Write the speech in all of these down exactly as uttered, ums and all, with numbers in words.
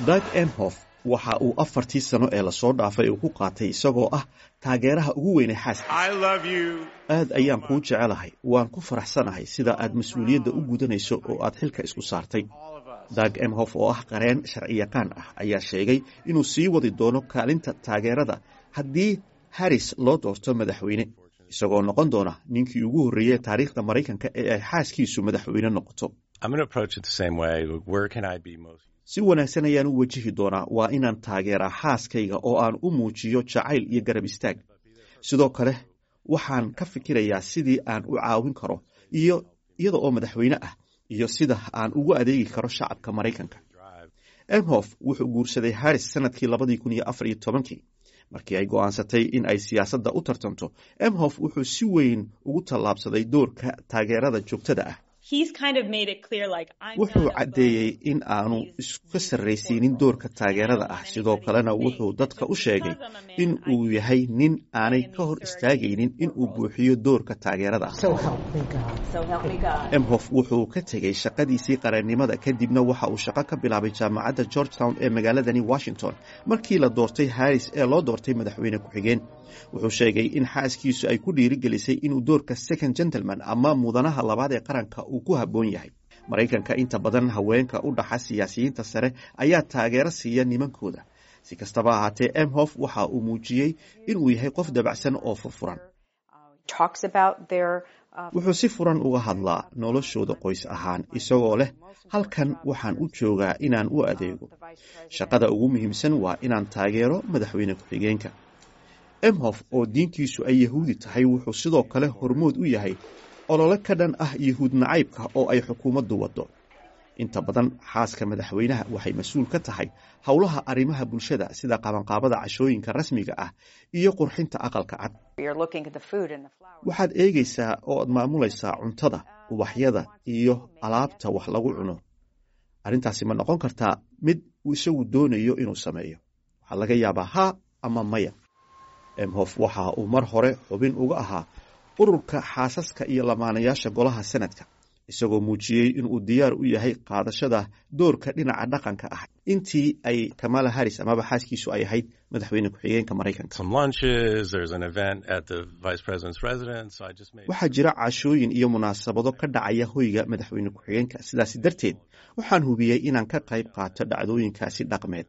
Doug Emhoff waxa uu afartii sano ee lasoo dhaafay uu ku qaatay isagoo ah taageeraha ugu weynay xaaskiisa. Aad ayaan kuu jecelahay, waan ku faraxsanahay sida aad mas-uuliyadda u gudanayso oo aad xilka isku saartay. Doug Emhoff oo ah qareen sharciyaqaan ah ayaa sheegay inuu sii wadi doono kaalinta taageerada haddii Harris loo doorto madaxweyne, isagoo noqon doona ninkii ugu horreeyey taariikhda Maraykanka ee ay xaaskiisu madaxweyne noqoto. Si wanaagsan ayaan u wajihi doonaa. Waa inaan taageeraa xaaskayga oo aan u muujiyo jacayl iyo garab istaag. Sidoo kale waxaan ka fikirayaa sidii aan u caawin karo iyo iyada oo madaxweyne ah iyo sida aan ugu adeegi karo shacabka Maraykanka. Emhoff wuxuu guursaday Harris sanadkii labadii kun iyo afar iyo tobankii. Markii ay go'aansatay in ay siyaasadda u tartanto, Emhoff wuxuu si weyn ugu tallaabsaday doorka taageerada joogtada ah. Wuxuu caddeeyey in aanu iska sarraysiinin doorka taageerada ah. Sidoo kalena wuxuu dadka u sheegay in uu yahay nin aanay ka hor istaagaynin in uu buuxiyo doorka taageerada ah. Emhoff wuxuu ka tegey shaqadiisii qareennimada, kadibna waxa uu shaqo ka bilaabay Jaamacadda Georgetown ee magaaladani Washington. Markii la doortay Harris ee loo doortay madaxweyne ku-xigeen, wuxuu sheegay in xaaskiisu ay ku dhiirigelisay inuu doorka second gentleman ama mudanaha labaad ee qaranka uu ku habboon yahay. Maraykanka inta badan haweenka u dhaxa siyaasiyiinta sare ayaa taageero siiya nimankooda. Si kastaba ahaatee, Emhoff waxa uu muujiyey inuu yahay qof dabacsan oo furfuran. Wuxuu si furan uga hadlaa noloshooda qoys ahaan, isagoo leh: "Halkan waxaan u joogaa inaan u adeego. Shaqada ugu muhiimsan waa inaan taageero madaxweyne ku-xigeenka." Emhoff oo diintiisu ay Yahuudi tahay wuxuu sidoo kale hormood u yahay olole ka dhan ah Yahuud nacaybka oo ay xukuumaddu waddo. Inta badan xaaska madaxweynaha waxay mas-uul ka tahay howlaha arrimaha bulshada, sida qabanqaabada cashooyinka rasmiga ah iyo qurxinta Aqalka Cad. Waxaad eegaysaa oo aad maamulaysaa cuntada, ubaxyada iyo alaabta wax lagu cuno. Arrintaasi ma noqon kartaa mid uu isagu doonayo inuu sameeyo? Waxaa laga yaabaa haa ama maya. Emhoff waxa uu mar hore xubin uga ahaa ururka xaasaska iyo lamaanayaasha golaha Senadka, isagoo muujiyey inuu diyaar u yahay qaadashada doorka dhinaca dhaqanka ah intii ay Kamala Harris amaba xaaskiisu ay ahayd madaxweyne ku-xigeenka Maraykanka. Waxaa jira cashooyin iyo munaasabado ka dhacaya hoyga madaxweyne ku-xigeenka. Sidaasi darteed waxaan hubiyey inaan ka qayb qaato dhacdooyinkaasi dhaqmeed.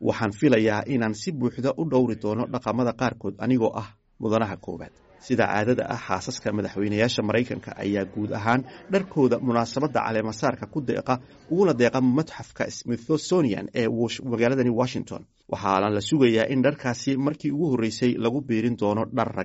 Waxaan filayaa inaan si buuxda u dhowri doono dhaqamada qaarkood anigoo ah mudanaha koowaad. Sida caadada ah, xaasaska madaxweynayaasha Maraykanka ayaa guud ahaan dharkooda munaasabadda caleemasaarka ku deeqa uguna deeqa Matxafka Smithsonian ee magaaladani Washington. Waxaana la sugayaa in dharkaasi markii ugu horreysay lagu biirin doono dhar rag.